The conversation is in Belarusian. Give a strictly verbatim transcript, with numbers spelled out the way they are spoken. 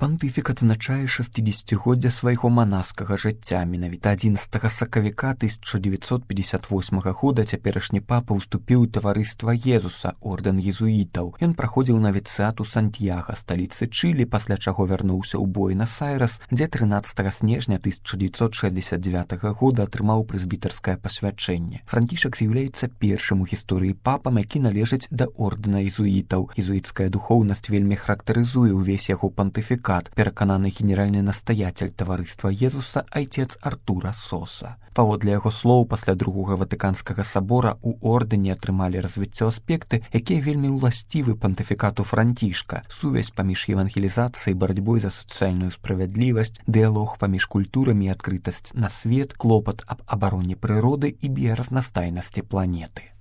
Пантыфік адзначае шэсцідзесяцігоддзе свайго манаскага жыцця. Менавіта адзінаццатага сакавіка тысяча дзевяцьсот пятьдесят восьмага года цяперашні папа ўступіў у таварыства Езуса, ордэн езуітаў. Ён праходзіў навіцыят у Сантьяга, сталіцы Чылі, пасля чаго вярнуўся ў Буэнас-Айрэс, дзе трынаццатага снежня тысяча дзевяцьсот шэсцьдзесят дзевятага года атрымаў прэзбітарскае пасвячэнне. Францішак з'яўляецца першым у гісторыі папам, які належыць да ордэна езуітаў. Езуіцкая духоўнасць вельмі характарызуе ўвесь яго пантыфікат, перакананы генеральны настаяцель таварыства Езуса айцец Артура Соса. Паводле яго слоў, пасля другога ватыканскага сабора у ордэне атрымалі развіццё аспекты, якія вельмі ўласцівы пантыфікату Францішка: сувязь паміж евангелізацыяй, барацьбой за сацыяльную справядлівасць, дыялог паміж культурамі і адкрытасць на свет, клопат аб абароне прыроды і біяразнастайнасці планеты.